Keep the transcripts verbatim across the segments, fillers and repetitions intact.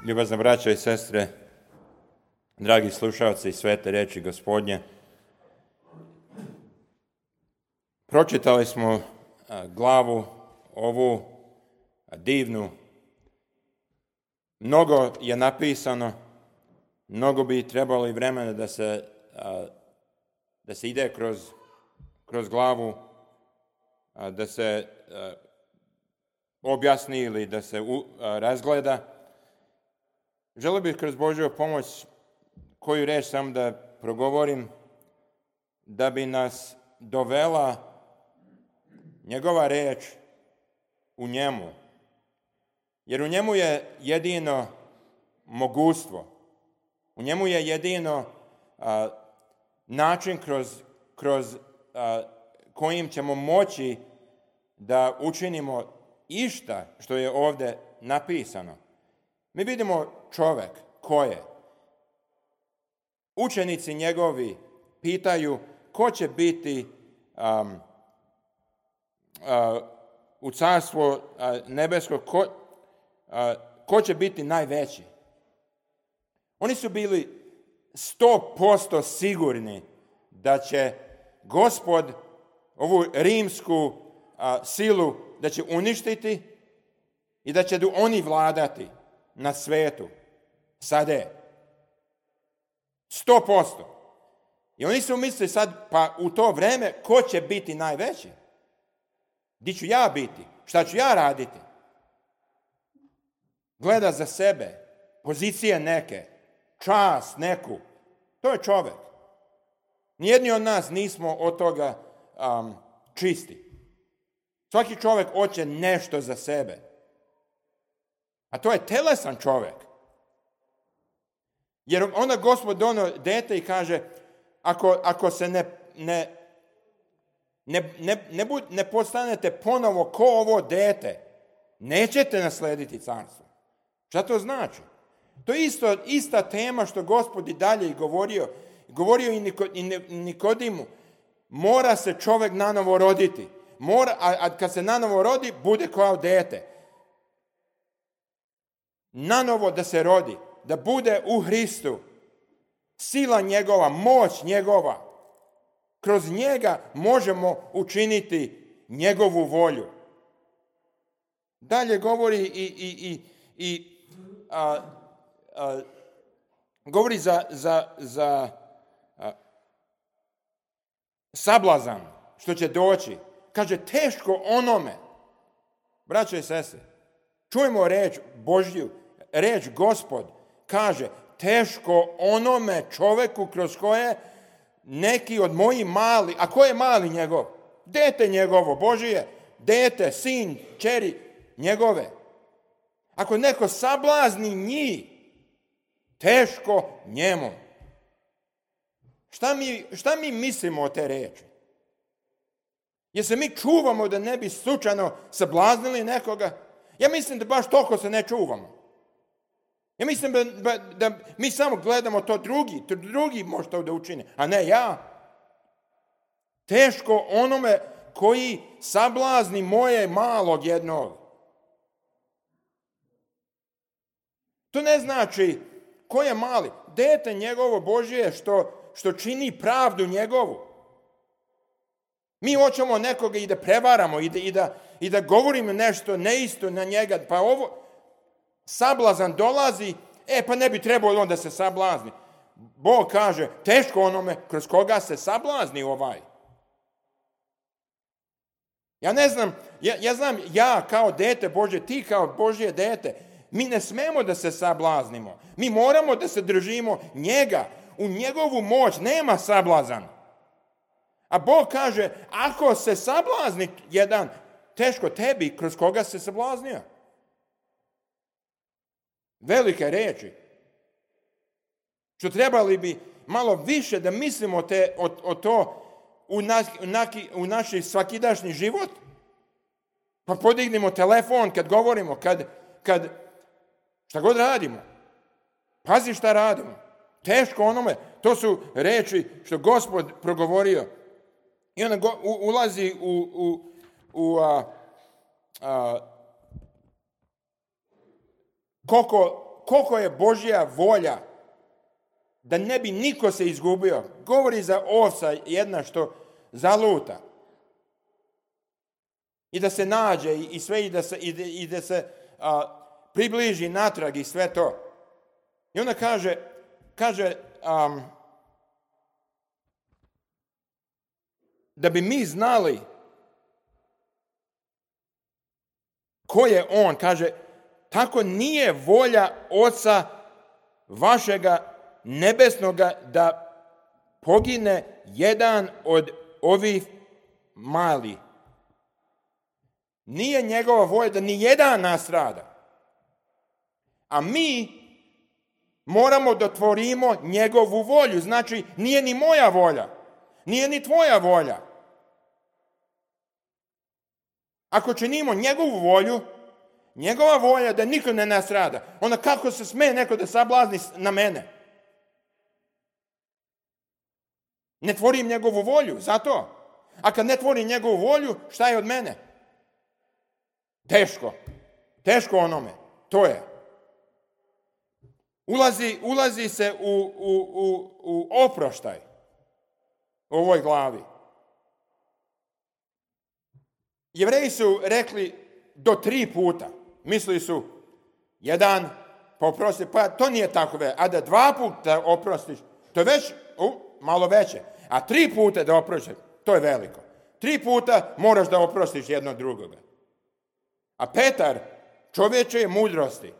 Ljubazna braćo i sestre, dragi slušalci i svete riječi Gospodnje, pročitali smo glavu ovu divnu. Mnogo je napisano, mnogo bi trebalo i vremena da se, da se ide kroz, kroz glavu, da se objasni ili da se razgleda. Želio bih kroz Božju pomoć koju riječ sam da progovorim, da bi nas dovela njegova riječ u njemu. Jer u njemu je jedino mogućstvo. U njemu je jedino a, način kroz, kroz a, kojim ćemo moći da učinimo išta što je ovdje napisano. Mi vidimo čovjek ko je. Učenici njegovi pitaju ko će biti um, uh, u carstvu uh, nebesko, ko, uh, ko će biti najveći. Oni su bili sto posto sigurni da će Gospod ovu rimsku uh, silu da će uništiti i da će oni vladati na svetu. Sada je. Sto posto. I oni su mislili sad, pa u to vreme, ko će biti najveći? Di ću ja biti? Šta ću ja raditi? Gleda za sebe, pozicije neke, čast neku. To je čovjek. Nijedni od nas nismo od toga um, čisti. Svaki čovjek hoće nešto za sebe. A to je telesan čovjek. Jer onda Gospod dono dete i kaže, ako, ako se ne, ne, ne, ne, ne, bud, ne postanete ponovo ko ovo dete, nećete naslediti carstvo. Šta to znači? To je isto, ista tema što Gospod i dalje i govorio. Govorio i, Niko, i Nikodimu. Mora se čovjek nanovo roditi. Mora, a, a kad se nanovo rodi, bude kao dete. Nanovo da se rodi. Da bude u Hristu, sila njegova, moć njegova. Kroz njega možemo učiniti njegovu volju. Dalje govori i, i, i, i a, a, govori za, za, za a, sablazan što će doći. Kaže, teško onome. Braćo i sestre, čujemo reč Božju, reč Gospod. Kaže, teško onome čovjeku kroz koje neki od mojih mali, a ko je mali njegov? Dete njegovo, Božije, dete, sin, čeri njegove. Ako neko sablazni njih, teško njemu. Šta mi, šta mi mislimo o te reči? Jer se mi čuvamo da ne bi slučajno sablaznili nekoga? Ja mislim da baš toliko se ne čuvamo. Ja mislim da, da, da mi samo gledamo to drugi, to drugi može to da učine, a ne ja. Teško onome koji sablazni moje malog jednog. To ne znači ko je mali. Dete njegovo Božje što, što čini pravdu njegovu. Mi hoćemo nekoga i da prevaramo i da, i da, i da govorimo nešto neisto na njega. Pa ovo... Sablazan dolazi, e pa ne bi trebalo on da se sablazni. Bog kaže, teško onome kroz koga se sablazni ovaj. Ja ne znam, ja, ja znam, ja kao dete Božje, ti kao Božje dete, mi ne smemo da se sablaznimo. Mi moramo da se držimo njega. U njegovu moć nema sablazan. A Bog kaže, ako se sablazni jedan, teško tebi kroz koga se sablaznio. Velike reči. Što trebali bi malo više da mislimo te, o, o to u, nas, u, naki, u naš svakidašnji život. Pa podignimo telefon kad govorimo, kad, kad šta god radimo. Pazi šta radimo. Teško onome. To su reči što Gospod progovorio. I ona go, u, ulazi u, u, u a, a, koliko, koliko je Božja volja da ne bi niko se izgubio. Govori za ovca jedna što zaluta. I da se nađe i sve i da se, i da, i da se a, približi natrag i sve to. I onda kaže, kaže um, da bi mi znali ko je on, kaže, tako nije volja Oca vašega nebesnoga da pogine jedan od ovih malih. Nije njegova volja da ni jedan nastrada. A mi moramo da tvorimo njegovu volju. Znači, nije ni moja volja, nije ni tvoja volja. Ako činimo njegovu volju, njegova volja da niko ne nastrada, onda kako se sme neko da sablazni na mene? Ne tvorim njegovu volju, zato. A kad ne tvorim njegovu volju, šta je od mene? Teško. Teško onome. To je. Ulazi, ulazi se u, u, u, u oproštaj u ovoj glavi. Jevreji su rekli do tri puta. Mislili su, jedan, pa oprosti, pa to nije tako ve. A da dva puta oprostiš, to je već uh, malo veće. A tri puta da oprostiš, to je veliko. Tri puta moraš da oprostiš jedno drugoga. A Petar, čovječe mudrosti,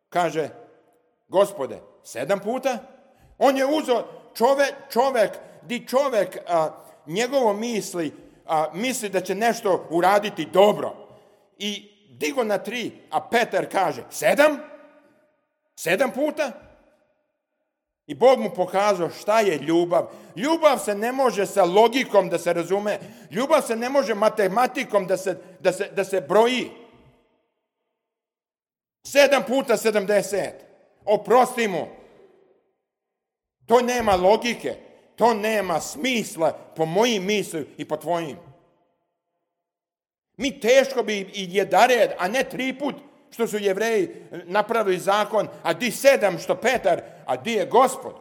kaže, Gospode, sedam puta? On je uzeo čovek, čovek, di čovek a, njegovo misli, a, misli da će nešto uraditi dobro. I digo na tri, a Petar kaže, sedam? Sedam puta? I Bog mu pokazao šta je ljubav. Ljubav se ne može sa logikom da se razume. Ljubav se ne može matematikom da se, da se, da se broji. Sedam puta sedamdeset. Oprosti mu. To nema logike. To nema smisla po mojim misli i po tvojim. Mi teško bi i jedared, a ne tri put što su Jevreji napravili zakon, a di sedam što Petar, a di je Gospod.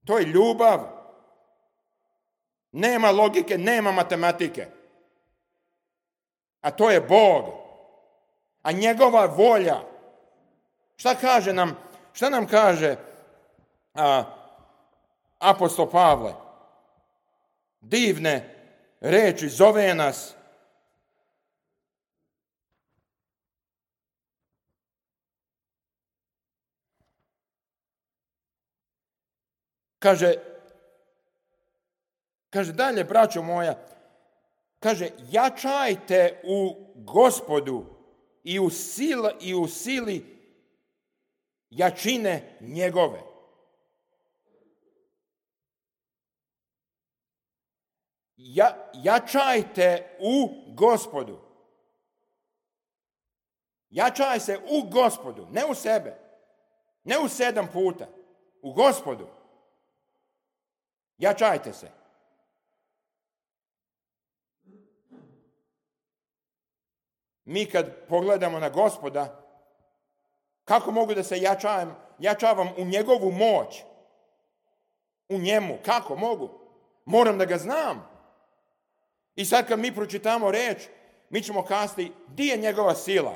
To je ljubav. Nema logike, nema matematike. A to je Bog. A njegova volja. Šta kaže nam, šta nam kaže a, apostol Pavle? Divne reči, zove nas. Kaže, kaže dalje, braćo moja, kaže, jačajte u Gospodu i u sili, i u sili jačine njegove. Ja, jačajte u Gospodu. Jačaj se u Gospodu, ne u sebe. Ne u sedam puta. U Gospodu. Jačajte se. Mi kad pogledamo na Gospoda, kako mogu da se jačavam, jačavam u njegovu moć? U njemu. Kako mogu? Moram da ga znam. I sad kad mi pročitamo reč, mi ćemo kazati, di je njegova sila?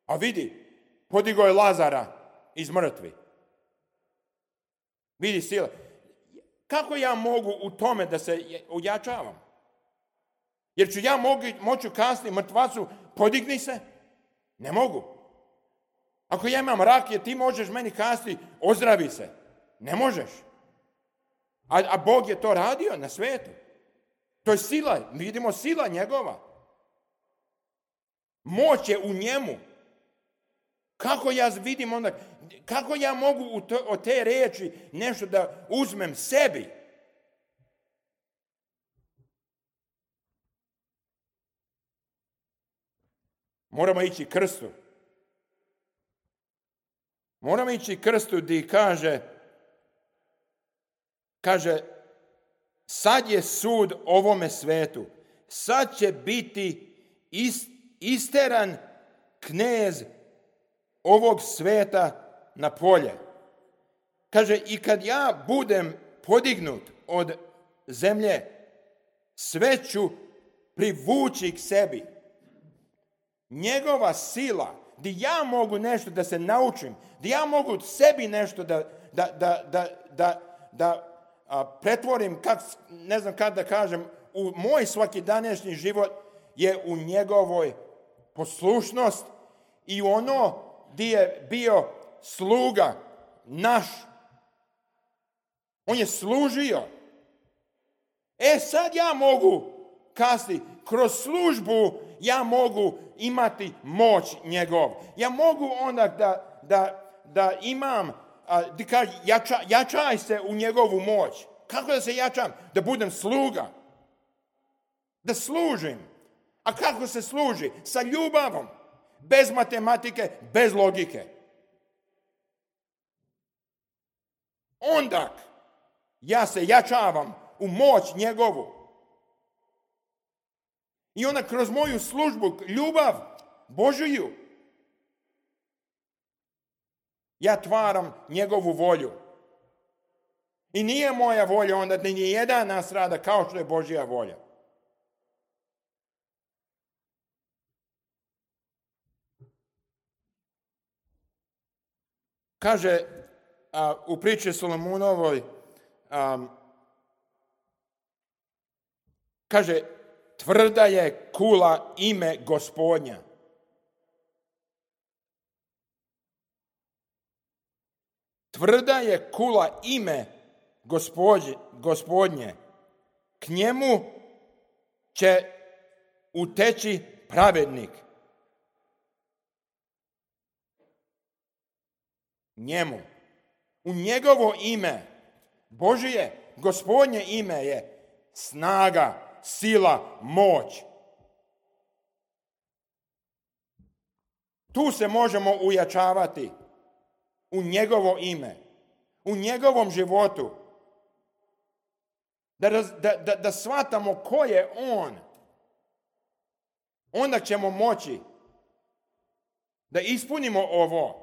A vidi, podigao je Lazara iz mrtvi. Vidi sila. Kako ja mogu u tome da se ojačavam? Jer ću ja mogu, moću kasnije mrtvacu, podigni se? Ne mogu. Ako ja imam rakije, ti možeš meni kasnije, ozdravi se. Ne možeš. A, a Bog je to radio na svetu. To je sila, mi vidimo sila njegova. Moć je u njemu. Kako ja vidim onda, kako ja mogu to, od te reči nešto da uzmem sebi? Moramo ići krstu. Moramo ići krstu gdje kaže, kaže, sad je sud ovome svetu. Sad će biti ist, isteran knez ovog sveta na polje. Kaže, i kad ja budem podignut od zemlje, sve ću privući k sebi. Njegova sila, gdje ja mogu nešto da se naučim, gdje ja mogu sebi nešto da, da, da, da, da, da a, pretvorim, kak, ne znam kada da kažem, u moj svakidanašnji život, je u njegovoj poslušnost i ono gdje je bio sluga naš. On je služio. E sad ja mogu kasnije, kroz službu ja mogu imati moć njegov. Ja mogu onda da, da, da imam, da kaže, jača, jačaj se u njegovu moć. Kako da se jačam? Da budem sluga. Da služim. A kako se služi? Sa ljubavom. Bez matematike, bez logike. Onda ja se jačavam u moć njegovu. I onda kroz moju službu, ljubav Božiju, ja tvaram njegovu volju. I nije moja volja onda da nije jedan nas rada kao što je Božja volja. Kaže a, u priči Solomonovoj, a, kaže, tvrda je kula ime Gospodnja. Tvrda je kula ime Gospodnje, Gospodnje. K njemu će uteći pravednik. Njemu. U njegovo ime, Božije, Gospodnje ime je snaga, sila, moć. Tu se možemo ujačavati u njegovo ime, u njegovom životu. Da, da, da, da shvatamo ko je on. Onda ćemo moći da ispunimo ovo.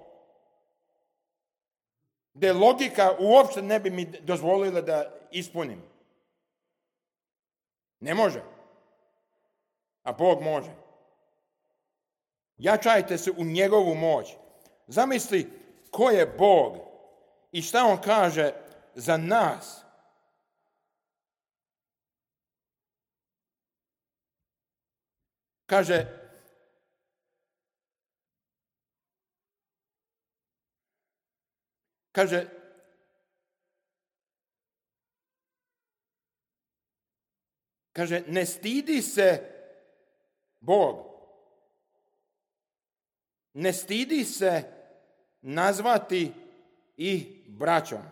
Da logika uopšte ne bi mi dozvolila da ispunim. Ne može. A Bog može. Jačajte se u njegovu moć. Zamisli ko je Bog i šta on kaže za nas. Kaže, kaže, kaže, ne stidi se Bog, ne stidi se nazvati ih braćom.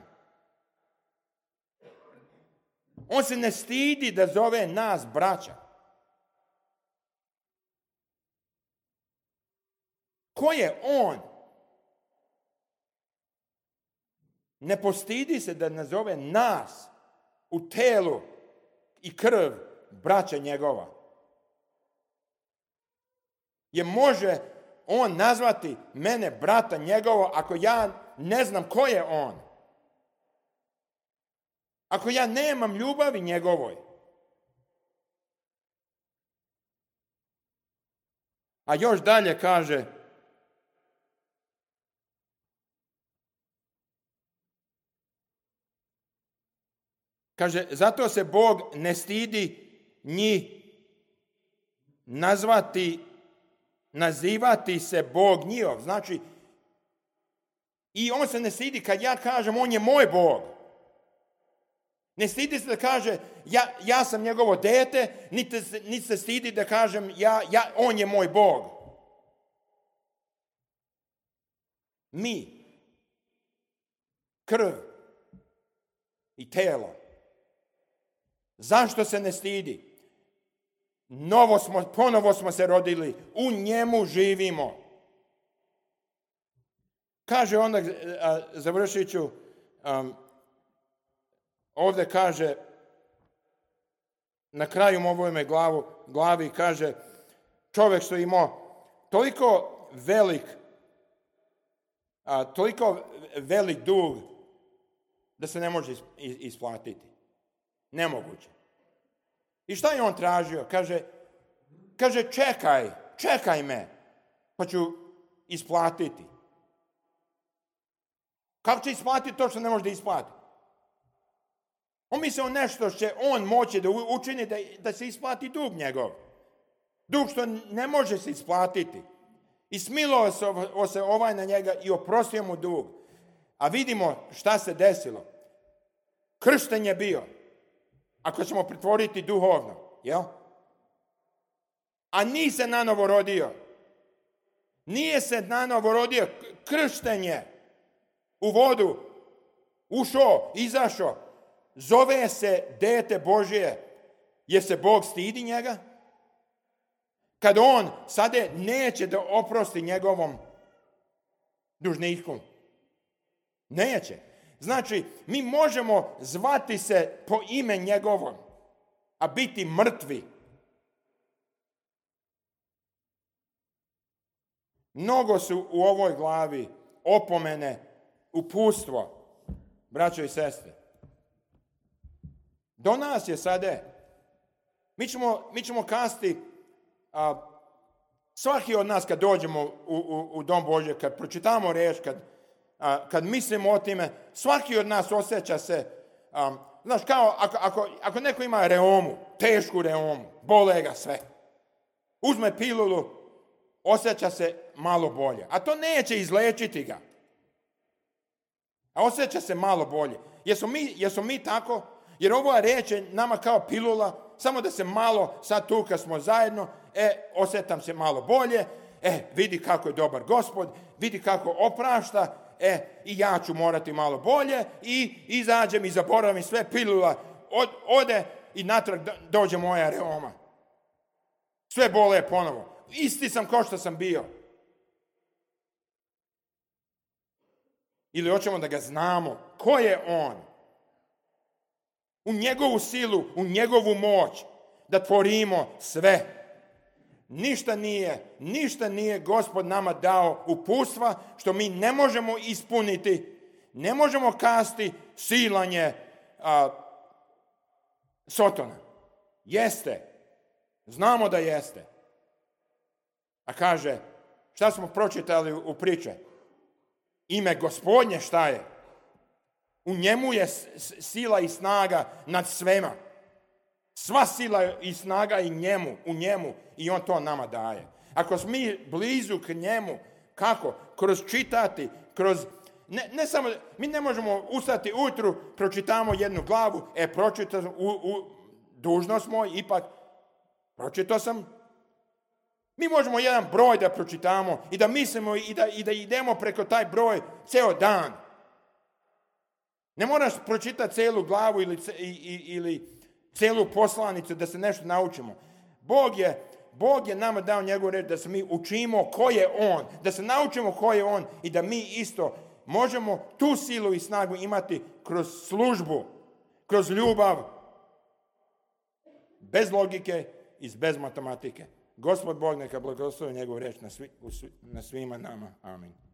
On se ne stidi da zove nas braća. Ko je on? Ne postidi se da nazove nas u telu i krv braća njegova. Je može on nazvati mene brata njegova ako ja ne znam ko je on? Ako ja nemam ljubavi njegovoj? A još dalje kaže, kaže, zato se Bog ne stidi njih nazvati, nazivati se Bog njihov. Znači, i on se ne stidi kad ja kažem on je moj Bog. Ne stidi se da kaže ja, ja sam njegovo dete, niti se, niti se stidi da kažem ja, ja, on je moj Bog. Mi, krv i telo. Zašto se ne stidi? Novo smo, ponovo smo se rodili, u njemu živimo. Kaže onda, završit ću, um, ovdje kaže, na kraju ovome glavu, glavi kaže, čovjek što imao toliko velik, a, toliko velik dug da se ne može isplatiti. Nemoguće. I šta je on tražio? Kaže, kaže čekaj, čekaj me, pa ću isplatiti. Kako će isplatiti to što ne može da isplati? On mislio nešto što će on moći da učini da, da se isplati dug njegov. Dug što ne može se isplatiti. I smilovao se, se ovaj na njega i oprostio mu dug. A vidimo šta se desilo. Kršten je bio. Ako ćemo pretvoriti duhovno. Jel? A nije se nanovo rodio. Nije se nanovo rodio. Kršten je. U vodu. Ušao, izašao. Zove se dete Božje. Jer se Bog stidi njega. Kad on sada neće da oprosti njegovom dužniku. Neće. Znači, mi možemo zvati se po ime njegovom, a biti mrtvi. Mnogo su u ovoj glavi opomene, upustvo, braćo i sestre. Do nas je sada. Mi ćemo, mi ćemo kasti, a, svaki od nas kad dođemo u, u, u dom Božje, kad pročitamo riječ, kad, a, kad mislimo o time, svaki od nas osjeća se, a, znaš, kao ako, ako, ako neko ima reumu, tešku reumu, bole ga sve. Uzme pilulu, osjeća se malo bolje. A to neće izlečiti ga. A osjeća se malo bolje. Jesu mi, jesu mi tako? Jer ova riječ je nama kao pilula, samo da se malo, sad tu kad smo zajedno, e, osjetam se malo bolje, e, vidi kako je dobar Gospod, vidi kako oprašta, e, i ja ću morati malo bolje, i izađem i zaboravim sve, pilula od, ode i natrag dođe moja reuma. Sve bole ponovo. Isti sam kao što sam bio. Ili hoćemo da ga znamo. Ko je on? U njegovu silu, u njegovu moć, da tvorimo sve. Ništa nije, ništa nije Gospod nama dao uputstva što mi ne možemo ispuniti, ne možemo kasti silanje a, Sotona. Jeste, znamo da jeste. A kaže, šta smo pročitali u priče? Ime Gospodnje šta je? U njemu je sila i snaga nad svema. Sva sila i snaga i njemu, u njemu, i on to nama daje. Ako smo mi blizu k njemu, kako? Kroz čitati, kroz... Ne, ne samo, mi ne možemo ustati ujutru, pročitamo jednu glavu, e, pročitao sam, u, u, dužnost moj, ipak, pročitao sam. Mi možemo jedan broj da pročitamo i da mislimo i da, i da idemo preko taj broj ceo dan. Ne moraš pročitati celu glavu ili, ili celu poslanicu da se nešto naučimo. Bog je, Bog je nama dao njegovu reč da se mi učimo ko je on, da se naučimo ko je on i da mi isto možemo tu silu i snagu imati kroz službu, kroz ljubav, bez logike i bez matematike. Gospod Bog neka blagoslovi njegovu reč na, svi, na svima nama. Amin.